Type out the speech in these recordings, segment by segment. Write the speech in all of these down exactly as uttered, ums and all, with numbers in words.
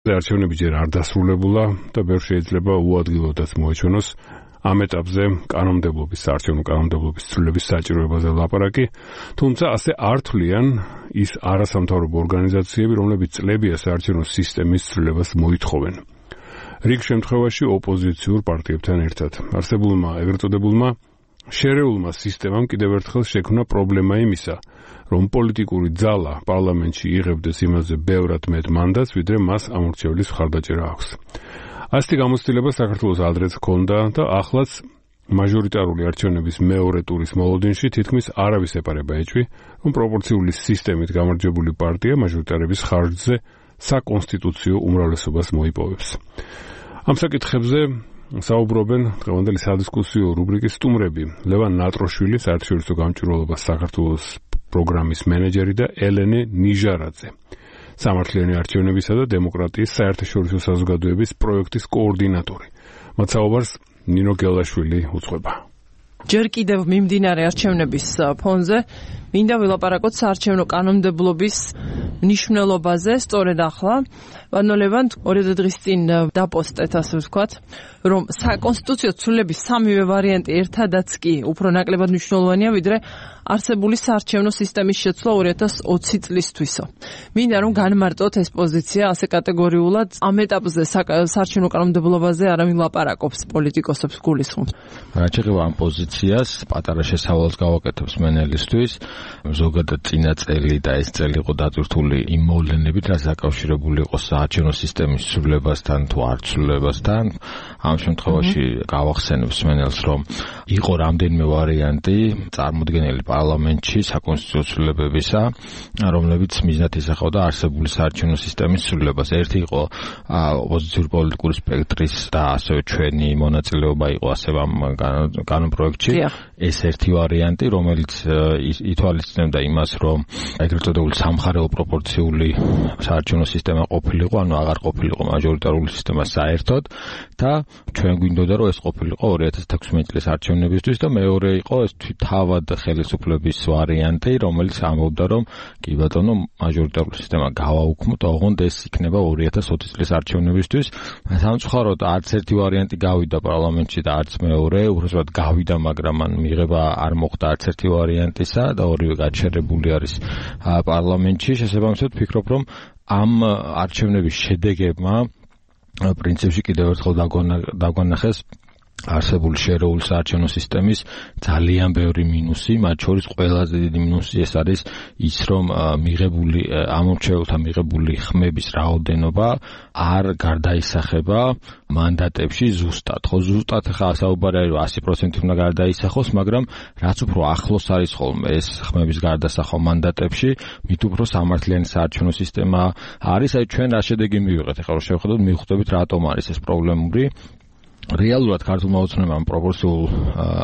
არჩევნები ჯერ არ დასრულებულა და ბევრ შეიძლება უადგილოდაც მოეჩვენოს ამ ეტაპზე კანონმდებლობის, საარჩევნო კანონმდებლობის ცვლილების საჭიროებაზე ლაპარაკი, თუმცა ასე არ თვლიან ის არასამთავრობო ორგანიზაციები, რომლებიც წლებია საარჩევნო სისტემის ცვლილებას მოითხოვენ. რიგ შემთხვევაში ოპოზიციურ პარტიებთან ერთად. არსებულმა ეგრეთ წოდებულმა შერეულმა სისტემამ კიდევ ერთხელ შექმნა პრობლემა იმისა, რომ პოლიტიკური ძალა პარლამენტში იღებდეს იმაზე ბევრად მეტ მანდატს, ვიდრე მას ამორჩევლის მხარდაჭერა აქვს. ასეთი გამოცდილება საქართველოს ადრეც ჰქონდა და ახლაც მაჟორიტარული არჩევნების მეორე ტურის მოლოდინში თითქმის არავის ეპარება ეჭვი, რომ პროპორციული სისტემით გამარჯვებული პარტია მაჟორიტარების ხარჯზე საკონსტიტუციო უმრავლესობას მოიპოვებს. ამ საკითხებზე საუბრობენ დღევანდელი სადისკუსიო რუბრიკის სტუმრები ლევან ნატროშვილი, საერთაშორისო გამჭვირვალობას საქართველოს პროგრამის მენეჯერი და ელენე ნიჟარაძე, სამართლიანი არჩევნებისა და დემოკრატიის საერთაშორისო საზოგადოების პროექტის კოორდინატორი. მათ საუბარს ნინო გელაშვილი უძღვება. ჯერ კიდევ მიმდინარე არჩევნების ფონზე მინდა ვილაპარაკოთ საარჩევნო კანონმდებლობის მნიშვნელობაზე. სწორედ ახლა ბანოლევან ორი დღის წინ დაპოსტეთ, ასე ვთქვათ, რომ საკონსტიტუციო ცვლილების სამივე ვარიანტი ერთადაც კი უფრო ნაკლებად მნიშვნელოვანია, ვიდრე არსებული საარჩევნო სისტემის შეცვლა ორი ათას ოცი წლისთვისო. მინდა რომ განმარტოთ ეს პოზიცია ასე კატეგორიულად ამ ეტაპზე საარჩევნო კანონმდებლობაზე არ ვილაპარაკობს პოლიტიკოსებს გულისხმობ. რაც შეეხება ამ პოზიციას, პატარა შესავალს გავაკეთებს მენელისთვის. ზოგადად წინა წელი და ეს წელი იყო დატვირთული იმ მოვლენებით, რაც დაკავშირებული იყო საარჩევნო სისტემის ცვლილებასთან თუ არ ცვლილებასთან. ამ შემთხვევაში გავახსენებს მენელს, რომ იყო რამდენიმე ვარიანტი წარმოდგენილი პარლამენტში საკონსტიტუციო ცვლილებებისა, რომლებიც მიზნად ისახავდა არსებული საარჩევნო სისტემის ცვლილებას. ერთი იყო ოპოზიციური პოლიტიკური სპექტრის და ასევე ჩვენი მონაწილეობა იყო ასევე ამ კანონპროექტში. ეს ერთი ვარიანტი, რომელიც ითვალისწინებდა იმას, რომ ეგრეთ წოდებული სამხარეო პროპორციული საარჩევნო სისტემა ყოფილიყო, ანუ აღარ ყოფილიყო მაჟორიტარული სისტემა საერთოდ და ჩვენ გვინდოდა, რომ ეს ყოფილიყო ორი ათას თექვსმეტი წლის არჩევნებისთვის და მეორე იყო ეს თავად ხელისუფლების ვარიანტი, რომელიც ამბობდა, რომ კი ბატონო, მაჟორიტარული სისტემა გავაუქმოთ, ოღონდ ეს იქნება ორი ათას ოცი წლის არჩევნებისთვის. სამწუხაროდ არც ერთი ვარიანტი გავიდა პარლამენტში და არც მეორე, უბრალოდ გავიდა, მაგრამ მან მიღება არ მოხდა არც ერთი ვარიანტისა და ორივე გაჩერებული არის პარლამენტში. შესაბამისად ვფიქრობ, რომ ამ არჩევნების შედეგებმა პრინციპში კიდევ ერთხელ დაგვანახეს არსებული შერეული საარჩევნო სისტემის ძალიან ბევრი მინუსი, მათ შორის ყველაზე დიდი მინუსი ეს არის ის, რომ მიღებული ამორჩეულთა მიღებული ხმების რაოდენობა არ გარდაისახება მანდატებში ზუსტად. ხო, ზუსტად ხა საუბარი არის ასი პროცენტი უნდა გარდაისახოს, მაგრამ რაც უფრო ახლოს არის ხოლმე ეს ხმების გარდასახვა მანდატებში, მით უფრო სამართლიანი საარჩევნო სისტემა არის. აი ჩვენ რა შედეგი მივიღეთ, ახლა რომ შევხედოთ, მივხვდებით რატომ არის ეს პრობლემური. რეალურად ქართულმა ოცნებამ პროპორციულ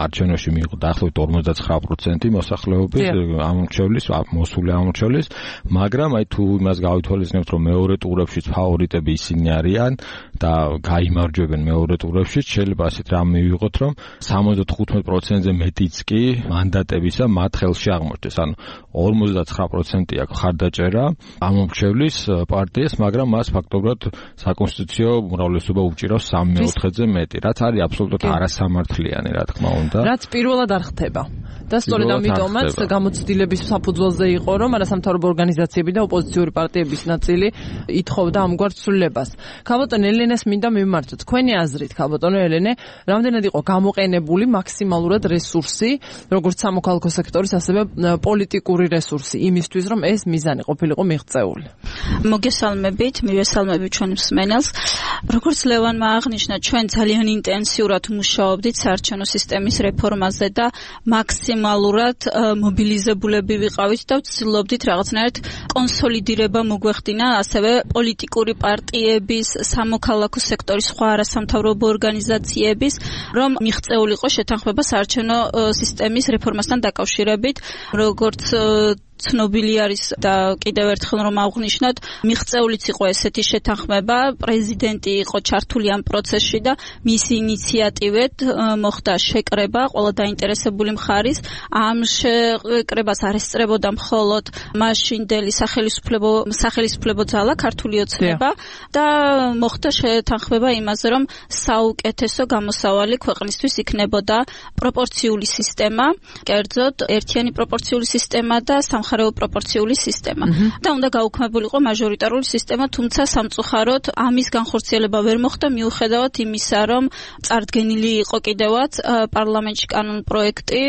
არჩევნებში მიიღო დაახლოებით ორმოცდაცხრა პროცენტი მოსახლეობის ამორჩევლის, მოსული ამორჩევლის, მაგრამ აი თუ იმას გავითვალისწინებთ, რომ მეორე ტურებშიც ფავორიტები ისინი არიან და გაიმარჯვებენ მეორე ტურებშიც, შეიძლება ასეთ რამ მივიღოთ, რომ სამოცდათხუთმეტ პროცენტზე მეტიც კი მანდატებისა მათ ხელში აღმოჩნდეს. ანუ ორმოცდაცხრა პროცენტი აქვს ხარდაჭერა ამორჩევლის პარტიას, მაგრამ მას ფაქტობრივად საკონსტიტუციო უმრავლესობა უჭირავს სამი მეოთხედზე მეტი. რაც არის აბსოლუტურად არასამართლიანი, რა თქმა უნდა. რაც პირველად არ ხდება. და სწორედ ამიტომაც გამოცდილების საფუძველზე იყო, რომ არასამთავრობო ორგანიზაციები და ოპოზიციური პარტიების ნაწილი ითხოვდა ამგვარ ცვლილებას. ქალბატონო ელენეს მინდა მივმართოთ. თქვენი აზრით, ქალბატონო ელენე, რამდენად იყო გამოყენებული მაქსიმალურად რესურსი, როგორც სამოქალაქო სექტორის, ასევე პოლიტიკური რესურსი იმისთვის, რომ ეს მიზანი ყოფილიყო მიღწეული. მოგესალმებით, მივესალმებით ჩვენ მსმენელს. როგორც ლევანმა აღნიშნა, ჩვენ ძალიან ინტენსიურად მუშაობდით საარჩევნო სისტემის რეფორმაზე და მაქსიმალურად მობილიზებულები ვიყავით და ვცდილობდით რაღაცნაირად კონსოლიდირება მოგვეხდინა ასევე პოლიტიკური პარტიების, სამოქალაქო სექტორის სხვა არასამთავრობო ორგანიზაციების, რომ მიღწეულიყო შეთანხმება საარჩევნო სისტემის რეფორმასთან დაკავშირებით, როგორც ცნობილი არის და კიდევ ერთხელ რომ აღვნიშნოთ, მიღწეულიც იყო ესეთი შეთანხმება, პრეზიდენტი იყო ჩართული ამ პროცესში და მისი ინიციატივით მოხდა შეკრება ყველა დაინტერესებული მხარის. ამ შეკრებას არ ესწრებოდა მხოლოდ მაშინდელი სახელისუფლებო სახელისუფლებო ძალა ქართული ოცნება და მოხდა შეთანხმება იმაზე, რომ საუკეთესო გამოსავალი ქვეყნისთვის იქნებოდა პროპორციული სისტემა, კერძოდ ერთიანი პროპორციული სისტემა და სამხარეო პროპორციული სისტემა. და უნდა გაუქმებულიყო მაჟორიტარული სისტემა, თუმცა სამწუხაროდ ამის განხორციელება ვერ მოხდა მიუხედავად იმისა, რომ წარდგენილი იყო კიდევაც პარლამენტში კანონპროექტი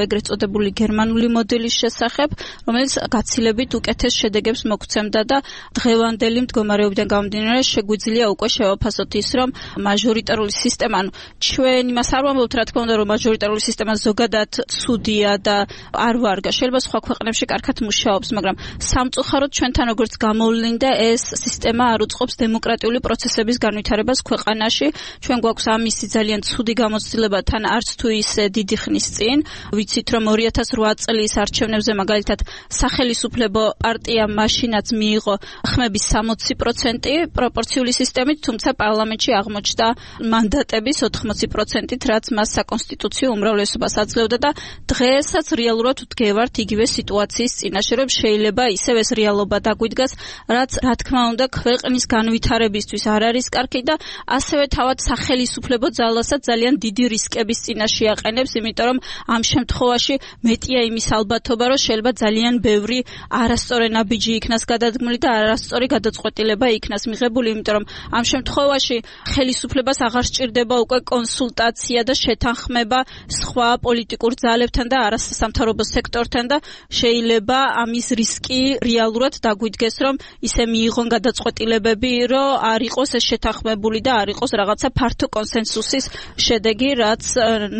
ეგრეთ წოდებული გერმანული მოდელის შესახებ, რომელიც გაცილებით უკეთეს შედეგებს მოგცემდა და დღევანდელი მდგომარეობიდან გამომდინარე შეგვიძლია უკვე შევაფასოთ ის, რომ მაჟორიტარული სისტემა, ანუ ჩვენ იმას არ ვამბობთ, რა თქმა უნდა, რომ მაჟორიტარული სისტემა ზოგადად ცუდია და არ ვარგა. შეიძლება სხვა ქვეყნებში კარგად მუშაობს, მაგრამ სამწუხაროდ ჩვენთან როგორც გამოვლინდა ეს სისტემა არ უწყობს დემოკრატიული პროცესების განვითარებას ქვეყანაში. ჩვენ გვაქვს ამისი ძალიან ცუდი გამოცდილება თან არც თუ ისე დიდი ხნის წინ. ვიცით რომ ორი ათას რვა წლის არჩევნებზე მაგალითად სახელისუფლებო პარტიამ მაშინაც მიიღო ხმების სამოცი პროცენტი პროპორციული სისტემით, თუმცა პარლამენტში აღმოჩნდა მანდატების ოთხმოცი პროცენტით, რაც მას საკონსტიტუციო უმრავლესობას აძლევდა და დღესაც რეალურად ვდგევართ იგივე სიტუაციის წინაშე, რომ შეიძლება ისევ ეს რეალობა დაგვიდგას, რაც რა თქმა უნდა ქვეყნის განვითარებისთვის არ არის კარგი და ასევე თავად სახელისუფლებო ძალასაც ძალიან დიდი რისკების წინაშე აყენებს, იმიტომ რომ ამ შემთხვევაში მეტია იმის ალბათობა, რომ შეიძლება ძალიან ბევრი არასწორი ნაბიჯი იქნას გადადგმული და არასწორი გადაწყვეტილება იქნას მიღებული, იმიტომ რომ ამ შემთხვევაში ხელისუფლებას აღარ სჭირდება უკვე კონსულტაცია და შეთანხმება სხვა პოლიტიკურ ძალებთან და არასამთავრობო სექტორთან და შეიძლება ამის რისკი რეალურად დაგვიდგეს, რომ ისე მიიღონ გადაწყვეტილებები, რომ არ იყოს ეს შეთანხმებული და არ იყოს რაღაცა ფართო კონსენსუსის შედეგი, რაც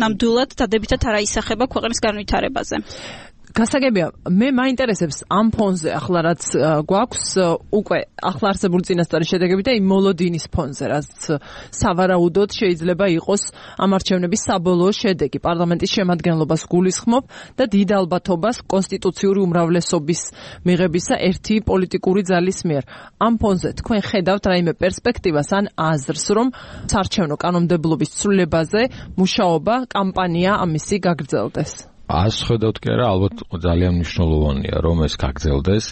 ნამდვილად დადებითად არ აისახება ქვეყნის განვითარებაზე. გასაგებია, მე მაინტერესებს ამ ფონზე ახლა რაც გვაქვს უკვე ახლა არსებული წინასწარი შედეგები და იმ მოლოდინის ფონზე, რაც სავარაუდოდ შეიძლება იყოს ამ არჩევნების საბოლოო შედეგი. პარლამენტის შემადგენლობას გულისხმობ და დიდ ალბათობას კონსტიტუციური უმრავლესობის მიღებისა ერთი პოლიტიკური ძალის მიერ. ამ ფონზე თქვენ ხედავთ რაიმე პერსპექტივას ან აზრს, რომ საარჩევნო კანონმდებლობის ცვლილებაზე მუშაობა, კამპანია ამისი გაგრძელდეს? ას ხედავთ კი არა, ალბათ ძალიან მნიშვნელოვანია რომ ეს გაგრძელდეს.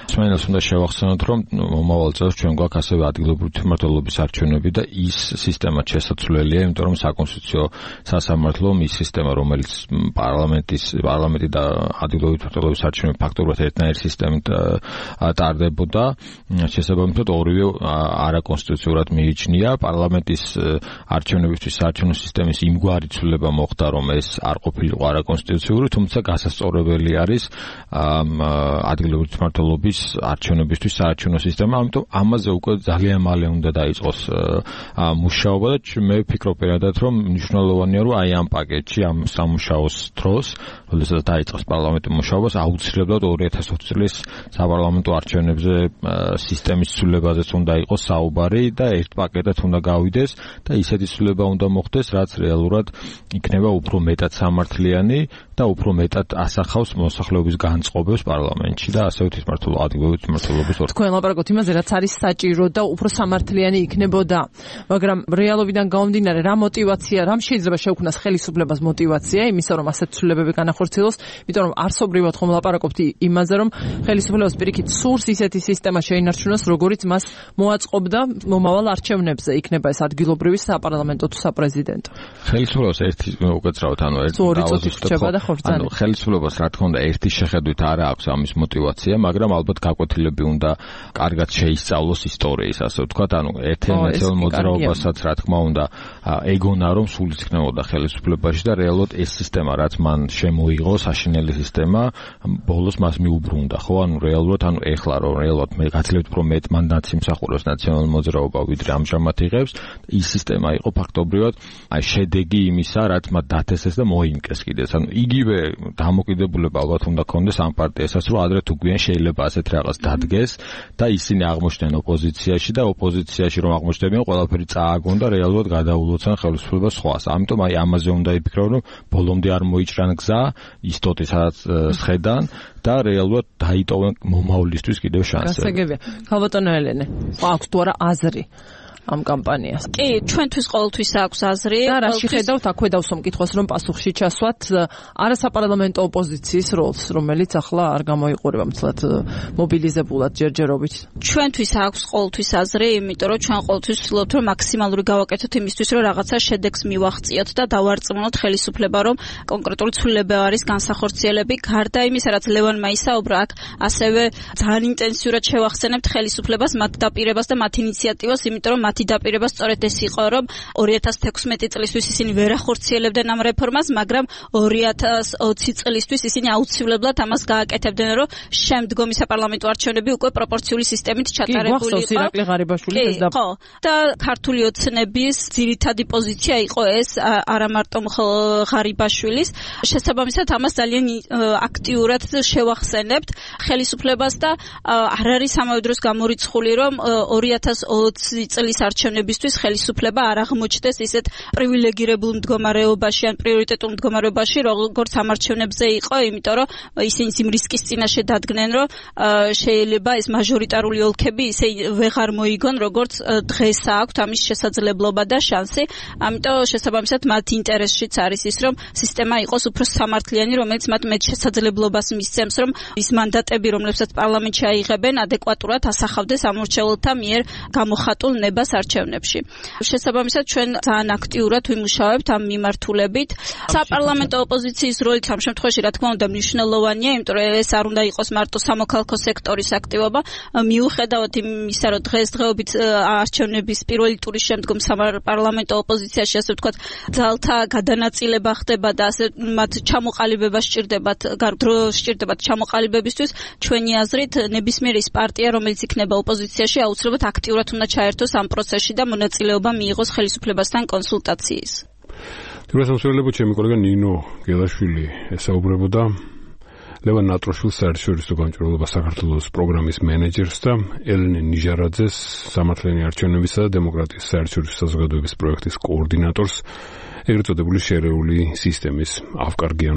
მსმენელს უნდა შევახსენოთ, რომ მომავალ წელს ჩვენ გვაქვს ასევე ადგილობრივი თვითმმართველობის არჩევნები და ის სისტემა შესაძლებელია, იმიტომ რომ საკონსტიტუციო სასამართლომ ის სისტემა, რომელიც პარლამენტის პარლამენტი და ადგილობრივი თვითმმართველობის არჩევნები ფაქტობრივად ერთნაირი სისტემით ტარდებოდა, შესაბამისად ორივე არაკონსტიტუციურად მიიჩნია. პარლამენტის არჩევნებისთვის საარჩევნო სისტემის იმგვარი ცვლილება მოხდა, რომ ეს არ ყოფილიყო არაკონსტიტუციური, თუმცა გასასწორებელი არის ადგილობრივი თვითმმართველობის არჩევნებისთვის საარჩევნო სისტემა, ამიტომ ამაზე უკვე ძალიან მალე უნდა დაიწყოს მუშაობა და მე ვფიქრობ პირადად, რომ მნიშვნელოვანია, რომ აი ამ პაკეტში, ამ სამუშაოს დროს, როდესაც დაიწყოს პარლამენტის მუშაობას, აუცილებლად ორი ათას ოცი წლის საპარლამენტო არჩევნებზე სისტემის ცვლილებაზეც უნდა იყოს საუბარი და ერთ პაკეტად უნდა გავიდეს და ისეთი ცვლილება უნდა მოხდეს, რაც რეალურად იქნება უფრო მეტად სამართლიანი და უფრო მეტად ასახავს მოსახლეობის განწყობებს პარლამენტში და ასევე თვითმმართველობა ადგილობრივი თვითმმართველობის ორგანოებში. თქვენ ლაპარაკობთ იმაზე, რაც არის საჭირო და უფრო სამართლიანი იქნებოდა, მაგრამ რეალობიდან გამომდინარე, რა мотиваცია, რამ შეიძლება შეუქმნას ხელისუფლებას мотиваცია იმისა, რომ ასეთ ცვლილებები განახორციელოს, იმიტომ რომ არსობრივად ხომ ლაპარაკობთ იმაზე, რომ ხელისუფლებას პირიქით სურს ისეთი სისტემა შეინარჩუნოს, როგორიც მას მოაწყობდა მომავალ არჩევნებზე, იქნება ეს ადგილობრივი საპარლამენტო თუ საპრეზიდენტო. ხელისუფლებას ერთი უკაცრავად, ანუ ერთი ანუ ხელისუფლებას რა თქმა უნდა ერთი შეხედვით არ აქვს ამის мотиваცია, მაგრამ ალბათ გაკვეთილები უნდა კარგად შეისწავლოს ისტორიის, ასე ვთქვათ, ანუ ერთენაცელ მოძრაობასაც რა თქმა უნდა ეგონა რომ სულიც იქნებოდა ხელისუფლებაში და რეალურად ეს სისტემა რაც მან შემოიღო, საშინელი სისტემა, ბოლოს მას მიუბრუნდა, ხო? ანუ რეალურად, ანუ ეხლა რომ რეალურად მე გაცილებით უფრო მეტ მანდატს იმსახურებს ნაციონალური მოძრაობა, ვიდრე ამჟამად იღებს, ის სისტემა იყო ფაქტობრივად აი შედეგი იმისა, რაც მათ დათესეს და მოიმკეს კიდეც. ანუ იგი იგივე დამოკიდებულება ალბათ უნდა ქონდეს ამ პარტიასაც, რომ ადრე თუ გვიან შეიძლება ასეთ რაღაც დადგეს და ისინი აღმოჩნდნენ ოპოზიციაში და ოპოზიციაში რომ აღმოჩნდებიან, ყველაფერი წააგონ და რეალურად გადაულოცან ხელისუფლებას სხვას. ამიტომ აი ამაზე უნდა იფიქრონ, რომ ბოლომდე არ მოიჭრან გზა ისტოტი სადაც სხედან და რეალურად დაიტოვონ მომავლისთვის კიდევ შანსები. გასაგებია. ქალბატონო ელენე, აქვს თუ არა აზრი ამ კამპანიას? კი, ჩვენთვის ყოველთვის აქვს აზრი. და რა შეხედავთ აქვე დავსვამ კითხვას, რომ პასუხში ჩასვათ არასაპარლამენტო ოპოზიციის როლს, რომელიც ახლა არ გამოიყურება მცლად მობილიზებულად ჯერჯერობით. ჩვენთვის აქვს ყოველთვის აზრი, იმიტომ რომ ჩვენ ყოველთვის ვცდილობთ, რომ მაქსიმალური გავაკეთოთ იმისთვის, რომ რაღაცა შედეგს მივახციოთ და დავარწმუნოთ ხელისუფლება, რომ კონკრეტული ცვლილებები არის განსახორციელები. გარდა იმისა, რაც ლევანმა ისაუბრა, აქ ასევე ძალიან ინტენსიურად შევახსენებთ ხელისუფლებას, მათ დაპირებას და მათ ინიციატივას, იმიტომ რომ მათი დაპირება სწორედ ეს იყო, რომ ორი ათას თექვსმეტი წლისთვის ისინი ვერ ახორციელებდნენ ამ რეფორმას, მაგრამ ორი ათას ოცი წლისთვის ისინი აუცილებლად ამას გააკეთებდნენ, რომ შემდგომი საპარლამენტო არჩევნები უკვე პროპორციული სისტემით ჩატარებული იყო. კი, ირაკლი ღარიბაშვილი ეს და ხო. და ქართული ოცნების ძირითადი პოზიცია იყო ეს, არა მარტო ღარიბაშვილის. შესაბამისად ამას ძალიან აქტიურად შევახსენებთ ხელისუფლებას და არ არის ამავე დროს გამორიცხული, რომ ორი ათას ოცი წლის არჩევნებისთვის ხელისუფლება არ აღმოჩნდეს ისეთ პრივილეგირებულ მდგომარეობაში ან პრიორიტეტულ მდგომარეობაში, როგორც ამ არჩევნებზე იყო, იმიტომ რომ ისინი იმ რისკის წინაშე დადგნენ, რომ შეიძლება ეს მაჟორიტარული ოლქები ისე ვეღარ მოიგონ, როგორც დღეს აქვთ ამის შესაძლებლობა და შანსი. ამიტომ შესაბამისად მათ ინტერესშიც არის ის, რომ სისტემა იყოს უფრო სამართლიანი, რომელიც მათ მეტ შესაძლებლობას მისცემს, რომ ის მანდატები, რომლებსაც პარლამენტში აიღებენ, ადეკვატურად ასახავდეს ამორჩეულთა მიერ გამოხატულ ნებას არჩევნებში. შესაბამისად ჩვენ ძალიან აქტიურად ვიმუშავებთ ამ მიმართულებით. საპარლამენტო ოპოზიციის როლიც ამ შემთხვევაში რა თქმა უნდა მნიშვნელოვანია, იმიტომ რომ ეს არ უნდა იყოს მარტო სამოქალაქო სექტორის აქტივობა. მიუხედავად იმისა, რომ დღესდღეობით არჩევნების პირველი ტურის შემდგომ საპარლამენტო ოპოზიციაში ასე ვთქვათ, ძალთა გადანაწილება ხდება და ასე მათ ჩამოყალიბება სჭირდებათ, დრო სჭირდებათ ჩამოყალიბებისთვის, ჩვენი აზრით ნებისმიერ ის პარტია, რომელიც იქნება ოპოზიციაში, აუცილებლად აქტიურად უნდა ჩაერთოს ამ პროცესში და მონაწილეობა მიიღოს ხელისუფლებასთან კონსულტაციის. თუმცა ჩემი კოლეგა ნინო გელაშვილი ესაუბრებოდა ლევან ნატროშვილს საერთაშორისო გამჭვირვალობა საქართველოს პროგრამის მენეჯერს და ელენე ნიჟარაძეს სამართლიანი არჩევნებისა და დემოკრატიის საერთაშორისო საზოგადოების პროექტის კოორდინატორს, ეგრეთ წოდებული შერეული სისტემის ავკარგიან